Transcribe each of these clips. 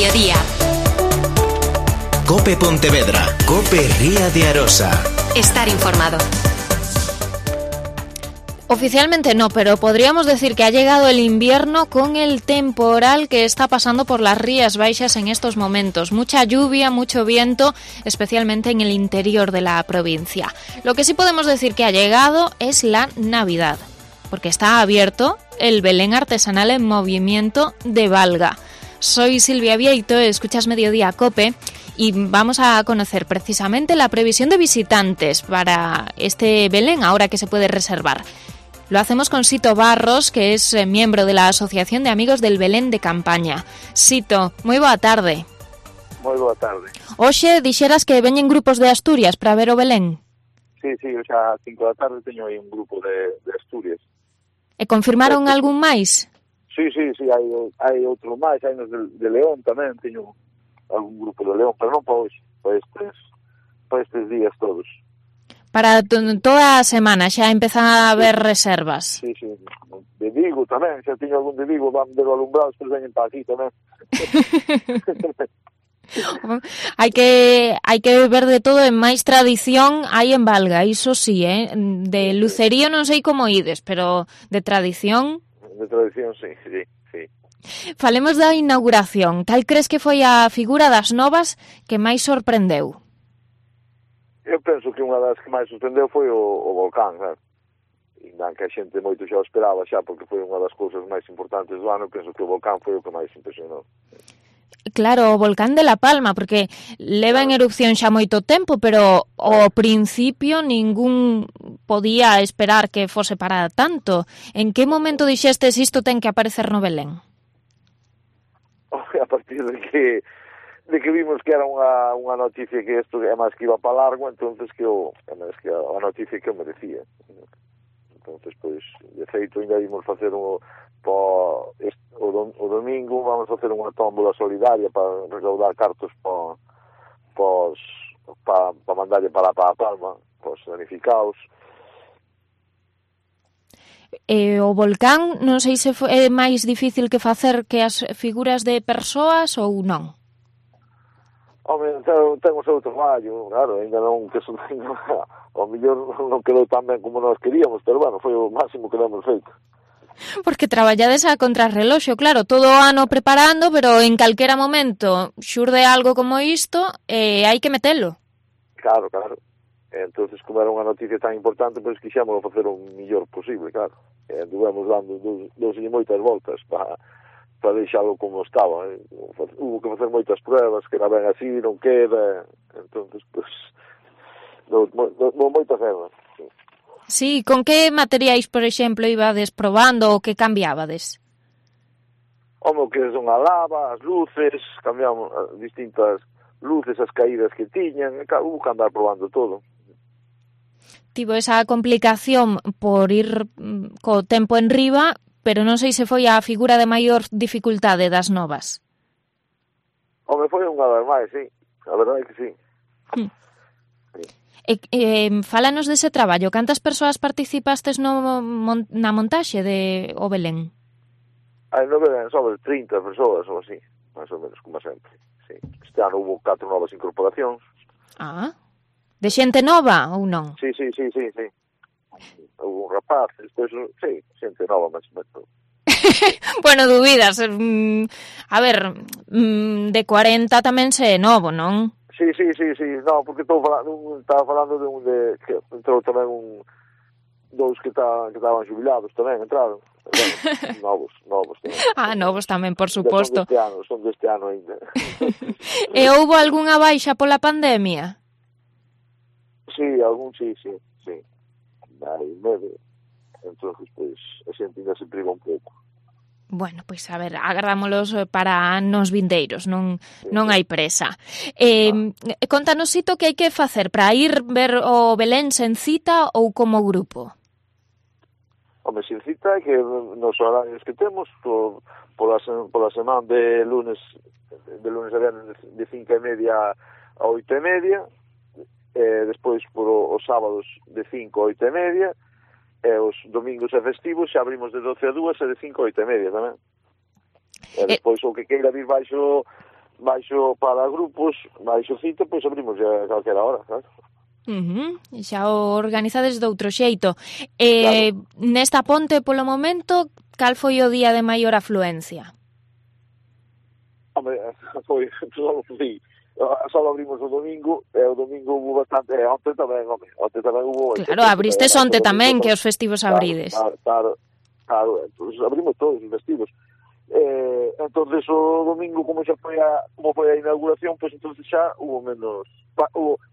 mediodía. COPE Pontevedra, COPE Ría de Arosa. Estar informado. Oficialmente no, pero podríamos decir que ha llegado el invierno con el temporal que está pasando por las Rías Baixas en estos momentos. Mucha lluvia, mucho viento, especialmente en el interior de la provincia. Lo que sí podemos decir que ha llegado es la Navidad, porque está abierto el Belén artesanal en movimiento de Valga. Soy Silvia Vieito, escuchas Mediodía COPE y vamos a conocer precisamente la previsión de visitantes para este Belén, ahora que se puede reservar. Lo hacemos con Sito Barros, que es miembro de la Asociación de Amigos del Belén de Campaña. Sito, moi boa tarde. Moi boa tarde. Hoxe dixeras que veñen grupos de Asturias para ver o Belén. Sí, hoxe a 5 da tarde teño aí un grupo de Asturias. E confirmaron algún máis? Sí, hai outro máis, hai nos de León tamén, teño algún grupo de León, pero non para hoxe, para estes días todos. Para toda a semana xa empezan a haber reservas. Sí, de Vigo tamén, xa teño algún de Vigo, van ver o alumbrado, despois veñen para aquí tamén. hai que ver de todo, en máis tradición hai en Valga, iso sí, de lucerío non sei como ides, pero de tradición... De tradición, sí. Falemos da inauguración. Cal crees que foi a figura das novas que máis sorprendeu? Eu penso que unha das que máis sorprendeu foi o volcán, claro. E que a xente moito xa o esperaba xa, porque foi unha das cousas máis importantes do ano. Penso que o volcán foi o que máis impresionou. Claro, o volcán de La Palma, porque leva en erupción xa moito tempo, pero ao principio ningún podía esperar que fose para tanto. En que momento dixestes isto ten que aparecer no Belén? A partir de que vimos que era unha noticia que isto é máis que iba para largo, entonces que a noticia que o merecía. Entonces, pois, de feito, ainda vimos facer o domingo, vamos facer unha tómbola solidaria para recaudar cartos para mandarlle para a Palma, para os danificados. O volcán, non sei se é máis difícil que facer que as figuras de persoas ou non? Home, ten o seu traballo, claro, ainda non que son, ao mellor non quedou tan ben como nós queríamos, pero bueno, foi o máximo que demos feito. Porque traballades a contrarreloxo, claro, todo o ano preparando, pero en calquera momento xurde algo como isto e hai que metelo. Claro. Entonces, como era unha noticia tan importante, pois quixémoslo facer o mellor posible, claro. Anduvemos dando dos e moitas voltas para deixalo como estaba. Hubo que facer moitas pruebas, que era ben así, non queda. Entonces, pois, moitas erras. Sí, con que materiais, por exemplo, ibades probando ou que cambiabades? Home, que son a lava, as luces, cambiamos distintas luces, as caídas que tiñan, hubo que andar probando todo. Tivo esa complicación por ir co tempo en riba, pero non sei se foi a figura de maior dificultade das novas. Home, foi unha das máis, sí. A verdade é que sí. Fálanos dese traballo. Cantas persoas participastes na montaxe de o Belén? No Belén sobre 30 persoas ou así, máis ou menos, como sempre. Sí. Este ano hubo 4 novas incorporacións. De xente nova ou non? Sí. Hubo un rapaz, despois, sí, xente nova, máis ou menos. Bueno, dubidas. A ver, de 40 tamén se é novo, non? Sí, no, porque estaba falando de un de que entrou tamén dous que estaban xubilados tamén, entraron. Bueno, novos tamén. Novos tamén, por suposto. Son deste ano ainda. E houbo algunha baixa pola pandemia? Sí, algún sí. Hai medo. Entón, pois, a xente ainda se priva un pouco. Bueno, pois a ver, agardámolos para anos vindeiros, non hai presa. Contanos, Sito, que hai que facer para ir ver o Belén sen cita ou como grupo? Home, sen cita é que nos horarios que temos, pola semana de lunes a viernes de 5:30 a 8:30, despois os sábados de 5 a 8:30, e os domingos e festivos xa abrimos de 12 a 2 e de 5 a 8:30 tamén. E despois o que queira vir baixo baixo para grupos, baixo cita, pois abrimos a calquera hora, claro. Xa o organizades doutro xeito. Claro. Nesta ponte, polo momento, cal foi o día de maior afluencia? Hombre, só abrimos o domingo, e o domingo hubo bastante, onte tamén hubo... Claro, abristes onte tamén, que os festivos abrides. Claro, pues abrimos todos os festivos. Entonces o domingo, como foi a inauguración, pues entonces xa hubo menos...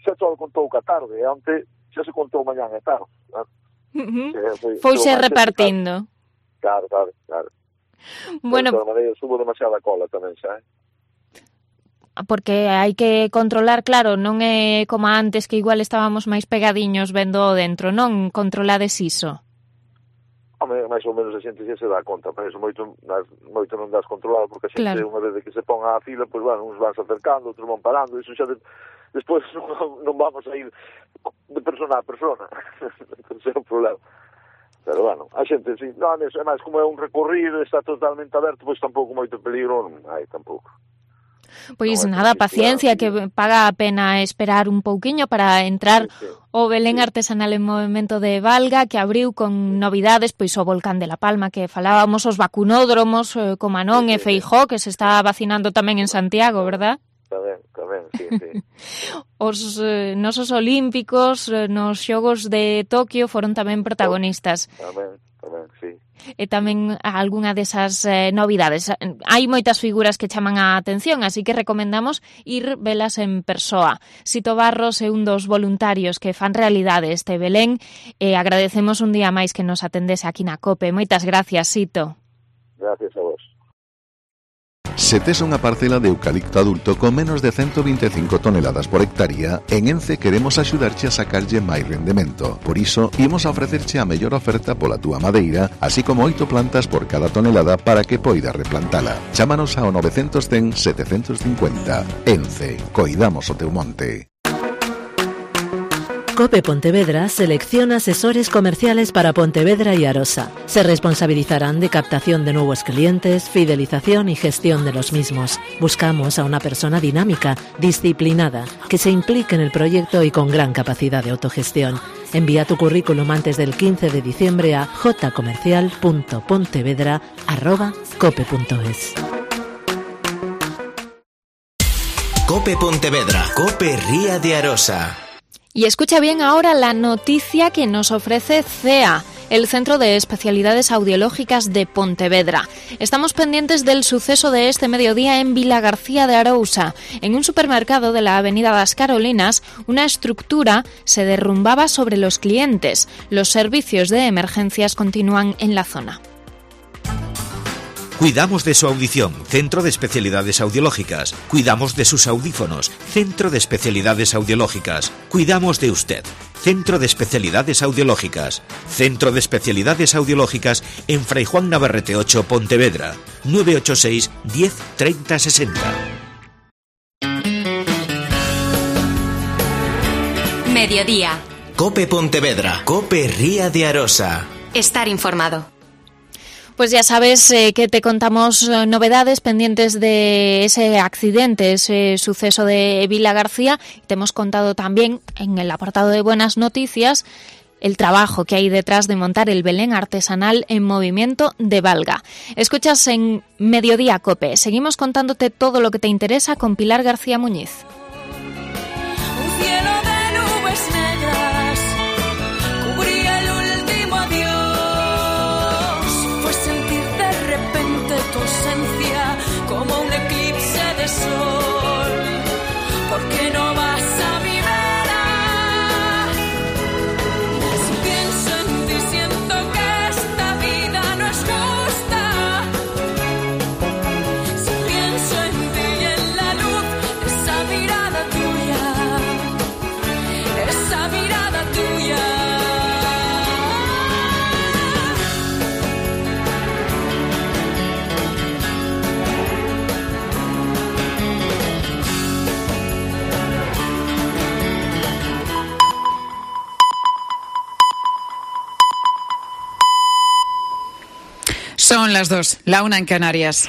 xa todo contou que a tarde, e onte xa se contou mañán e tarde. Fouse repartindo. Claro. Bueno, de todas maneiras, hubo demasiada cola tamén xa, Porque hai que controlar, claro, non é como antes que igual estábamos máis pegadiños vendo dentro, non controlades iso. Home, máis ou menos a xente xa se dá conta, pero eso moito non das controlado, porque a xente, unha vez que se ponga a fila, pois, bueno, uns van se acercando, outros van parando, iso xa despois non vamos a ir de persona a persona, non é un problema. Pero, bueno, a xente, sí, non, é máis, como é un recorrido, está totalmente aberto, pois tampouco moito peligro, non hai tampouco. Pois nada, paciencia, que paga a pena esperar un pouquiño para entrar o Belén Artesanal en Movemento de Valga, que abriu con novidades, pois o Volcán de la Palma, que falábamos, os vacunódromos, como Anón e Feijó, que se está vacinando tamén en Santiago, verdad? Tamén, sí. Os nosos olímpicos nos xogos de Tokio foron tamén protagonistas. Tamén, sí. E tamén algunha desas novidades. Hai moitas figuras que chaman a atención, así que recomendamos ir velas en persoa. Sito Barros é un dos voluntarios que fan realidade este Belén e agradecemos un día máis que nos atendese aquí na COPE. Moitas gracias, Sito. Gracias a vos. Se tes unha parcela de eucalipto adulto con menos de 125 toneladas por hectárea, en Ence queremos axudarche a sacarlle máis rendemento. Por iso, imos a ofrecerche a mellor oferta pola túa madeira, así como 8 plantas por cada tonelada para que poidas replantala. Chámanos ao 910 750. Ence, coidamos o teu monte. COPE Pontevedra selecciona asesores comerciales para Pontevedra y Arosa. Se responsabilizarán de captación de nuevos clientes, fidelización y gestión de los mismos. Buscamos a una persona dinámica, disciplinada, que se implique en el proyecto y con gran capacidad de autogestión. Envía tu currículum antes del 15 de diciembre a jcomercial.pontevedra@cope.es. COPE Pontevedra, COPE Ría de Arosa. Y escucha bien ahora la noticia que nos ofrece CEA, el Centro de Especialidades Audiológicas de Pontevedra. Estamos pendientes del suceso de este mediodía en Vilagarcía de Arousa. En un supermercado de la Avenida das Carolinas, una estructura se derrumbaba sobre los clientes. Los servicios de emergencias continúan en la zona. Cuidamos de su audición, Centro de Especialidades Audiológicas. Cuidamos de sus audífonos, Centro de Especialidades Audiológicas. Cuidamos de usted, Centro de Especialidades Audiológicas. Centro de Especialidades Audiológicas en Fray Juan Navarrete 8, Pontevedra. 986 10 30 60. Mediodía. COPE Pontevedra, COPE Ría de Arosa. Estar informado. Pues ya sabes que te contamos novedades pendientes de ese accidente, ese suceso de Vilagarcía. Te hemos contado también en el apartado de buenas noticias el trabajo que hay detrás de montar el Belén Artesanal en Movimiento de Valga. Escuchas en Mediodía COPE. Seguimos contándote todo lo que te interesa con Pilar García Muñiz. Como un eclipse de sol, porque no vas a mi vera. Si pienso en ti siento que esta vida no es justa. Si pienso en ti y en la luz de esa mirada tuya, esa mirada tuya. Son las 2, la 1 en Canarias.